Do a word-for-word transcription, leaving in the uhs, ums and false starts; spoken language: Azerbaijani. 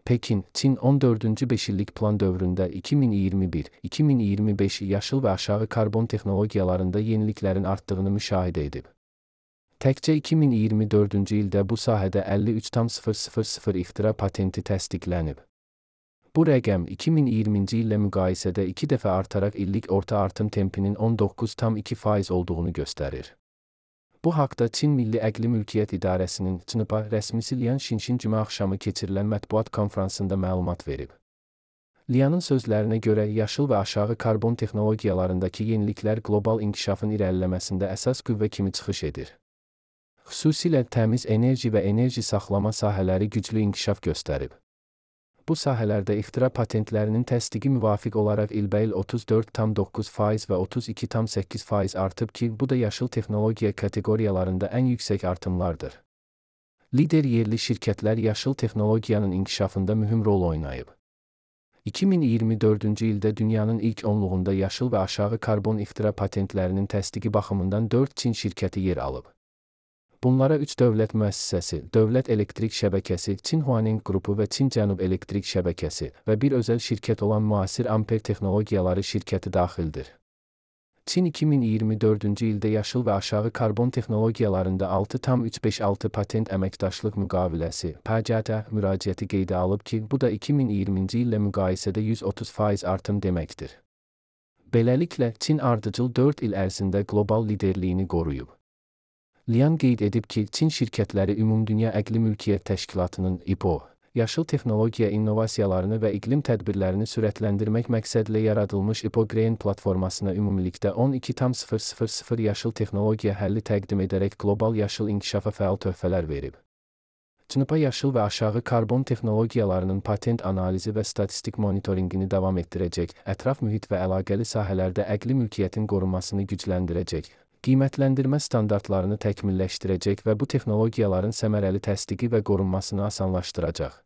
Pekin, Çin on dördüncü beşillik plan dövründə iki min iyirmi bir iki min iyirmi beş yaşıl və aşağı karbon texnologiyalarında yeniliklərin artdığını müşahidə edib. Təkcə iki min iyirmi dördüncü ildə bu sahədə əlli üç min ixtira patenti təsdiqlənib. Bu rəqəm iki min iyirminci illə müqayisədə iki dəfə artaraq illik orta artım tempinin on doqquz tam iki faiz olduğunu göstərir. Bu haqda Çin Milli Əqli Mülkiyyət İdarəsinin C N I P A rəsmisi Lian Xinxin cümə axşamı keçirilən mətbuat konfransında məlumat verib. Lianın sözlərinə görə yaşıl və aşağı karbon texnologiyalarındakı yeniliklər qlobal inkişafın irəliləməsində əsas qüvvə kimi çıxış edir. Xüsusilə təmiz enerji və enerji saxlama sahələri güclü inkişaf göstərib. Bu sahələrdə ixtira patentlərinin təsdiqi müvafiq olaraq ilbəil otuz dörd tam doqquz faiz və otuz iki tam səkkiz faiz artıb ki, bu da yaşıl texnologiya kateqoriyalarında ən yüksək artımlardır. Lider yerli şirkətlər yaşıl texnologiyanın inkişafında mühüm rol oynayıb. iki min iyirmi dördüncü ildə dünyanın ilk onluğunda yaşıl və aşağı karbon ixtira patentlərinin təsdiqi baxımından dörd Çin şirkəti yer alıb. Bunlara üç dövlət müəssisəsi, Dövlət Elektrik Şəbəkəsi, Çin Huaneng Qrupu və Çin Cənub Elektrik Şəbəkəsi və bir özəl şirkət olan Müasir Amper Texnologiyaları şirkəti daxildir. Çin iki min iyirmi dördüncü ildə yaşıl və aşağı karbon texnologiyalarında altı tam üç beş altı patent əməkdaşlıq müqaviləsi (P C T) müraciəti qeydə alıb ki, bu da iki min iyirminci illə müqayisədə yüz otuz faiz artım deməkdir. Beləliklə, Çin ardıcıl dörd il ərzində qlobal liderliyini qoruyub. Lian qeyd edib ki, Çin şirkətləri Ümumdünya Əqli Mülkiyyət Təşkilatının I P O, yaşıl texnologiya innovasiyalarını və iqlim tədbirlərini sürətləndirmək məqsədlə yaradılmış I P O Green platformasına ümumilikdə on iki tam sıfır sıfır sıfır yaşıl texnologiya həlli təqdim edərək qlobal yaşıl inkişafa fəal töhfələr verib. C N I P A yaşıl və aşağı karbon texnologiyalarının patent analizi və statistik monitorinqini davam etdirəcək, ətraf mühit və əlaqəli sahələrdə əqli mülkiyyətin qorunmasını gücləndirəcək, qiymətləndirmə standartlarını təkmilləşdirəcək və bu texnologiyaların səmərəli təsdiqi və qorunmasını asanlaşdıracaq.